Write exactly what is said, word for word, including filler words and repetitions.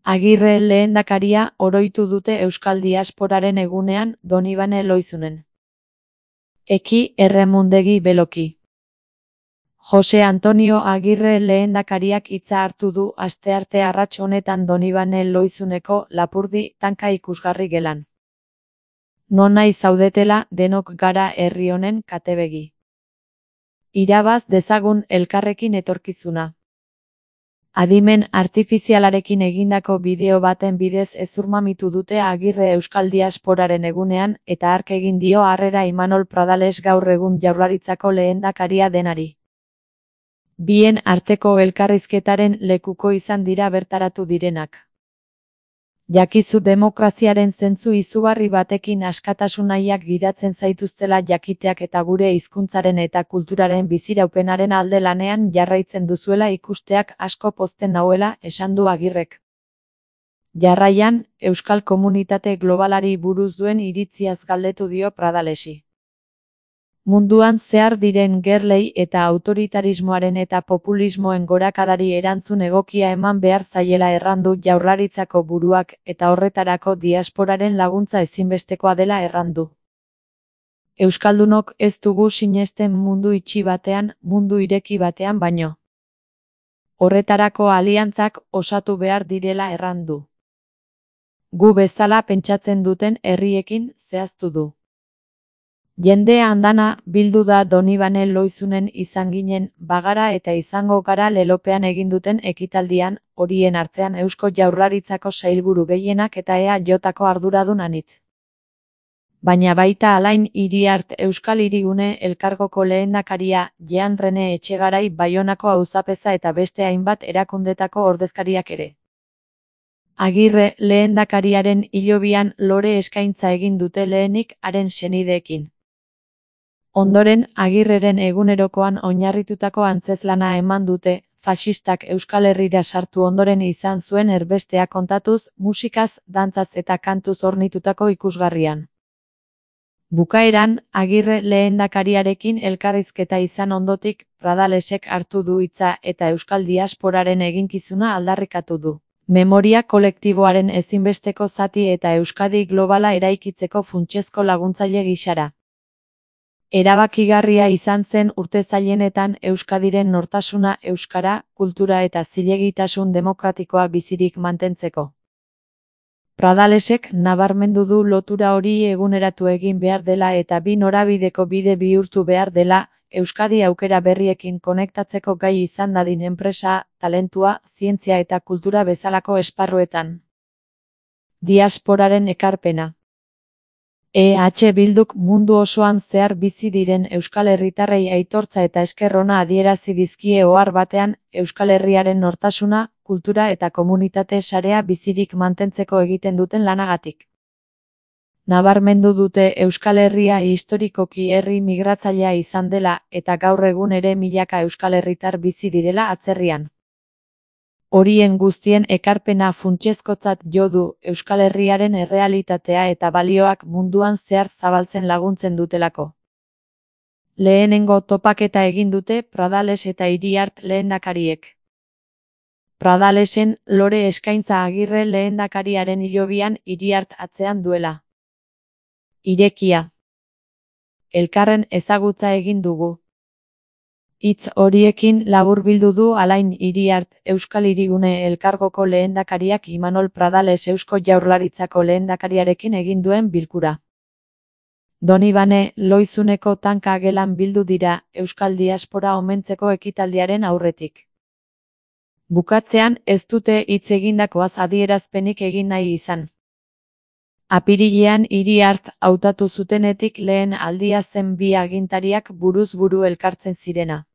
Agirre lehendakaria oroitu dute Euskal Diasporaren egunean Donibane Loizunen. Eki erremundegi beloki. Jose Antonio Agirre lehendakariak hitza hartu du astearte arrats honetan Donibane Loizuneko Lapurdi tanka ikusgarri gelan. Nonai zaudetela denok gara herri honen katebegi. Irabaz dezagun elkarrekin etorkizuna. Adimen artifizialarekin egindako bideo baten bidez ezurmamitu dute Agirre Euskal Diasporaren egunean eta hark egin dio harrera Imanol Pradales gaur egun Jaurlaritzako lehendakaria denari. Bien arteko elkarrizketaren lekuko izan dira bertaratu direnak. Jakizu demokraziaren zentzu izugarri batekin askatasun nahiak gidatzen zaituztela jakiteak eta gure hizkuntzaren eta kulturaren biziraupenaren alde lanean jarraitzen duzuela ikusteak asko pozten nauela, esan du Agirrek. Jarraian, Euskal Komunitate Globalari buruz duen iritziaz galdetu dio Pradalesi. Munduan zehar diren gerlei eta autoritarismoaren eta populismoen gorakadari erantzun egokia eman behar zaiela errandu Jaurlaritzako buruak eta horretarako diasporaren laguntza ezinbestekoa dela errandu. Euskaldunok ez dugu sinesten mundu itxi batean, mundu ireki batean baino. Horretarako aliantzak osatu behar direla errandu. Gu bezala pentsatzen duten herriekin zehaztu du. Jende andana bildu da Donibane Loizunen izan ginen bagara eta izango gara lelopean egin duten ekitaldian, horien artean Eusko Jaurlaritzako sailburu gehienak eta E A Jko arduradun anitz. Baina baita Alain Iriart Euskal Hirigune Elkargoko lehendakaria, Jean Rene Etxegarai Baionako auzapeza eta beste hainbat erakundetako ordezkariak ere. Agirre lehendakariaren hilobian lore eskaintza egin dute lehenik haren senideekin. Ondoren, Agirreren egunerokoan oinarritutako antzezlana eman dute, faxistak Euskal Herrira sartu ondoren izan zuen erbestea kontatuz, musikaz, dantzaz eta kantuz hornitutako ikusgarrian. Bukaeran, Agirre lehendakariarekin elkarrizketa izan ondotik, Pradalesek hartu du hitza eta Euskal Diasporaren eginkizuna aldarrikatu du. Memoria kolektiboaren ezinbesteko zati eta Euskadi globala eraikitzeko funtsezko laguntzaile gisara. Erabakigarria izan zen urte zailenetan Euskadiren nortasuna, euskara, kultura eta zilegitasun demokratikoa bizirik mantentzeko. Pradalesek nabarmendu du lotura hori eguneratu egin behar dela eta bi norabideko bide bihurtu behar dela, Euskadi aukera berriekin konektatzeko gai izan dadin enpresa, talentua, zientzia eta kultura bezalako esparruetan. Diasporaren ekarpena. E H Bilduk mundu osoan zehar bizi diren Euskal Herritarrei aitortza eta esker ona adierazi dizkie ohar batean, Euskal Herriaren nortasuna, kultura eta komunitate sarea bizirik mantentzeko egiten duten lanagatik. Nabarmendu dute Euskal Herria historikoki herri migratzailea izan dela eta gaur egun ere milaka Euskal Herritar bizi direla atzerrian. Horien guztien ekarpena funtsezkotzat jo du Euskal Herriaren errealitatea eta balioak munduan zehar zabaltzen laguntzen dutelako. Lehenengo topaketa egin dute Pradales eta Iriart lehendakariek. Pradalesen lore eskaintza Agirre lehendakariaren hilobian Iriart atzean duela. Irekia. Elkarren ezagutza egin dugu. Hitz horiekin laburbildu du Alain Iriart Euskal Hirigune Elkargoko lehendakariak Imanol Pradales Eusko Jaurlaritzako lehendakariarekin egin duen bilkura. Donibane Loizuneko tanka gelan bildu dira Euskal Diaspora omentzeko ekitaldiaren aurretik. Bukatzean ez dute hitz egindakoaz adierazpenik egin nahi izan. Apirilean Iriart hautatu zutenetik lehen aldia zen bi agintariak buruz buru elkartzen zirena.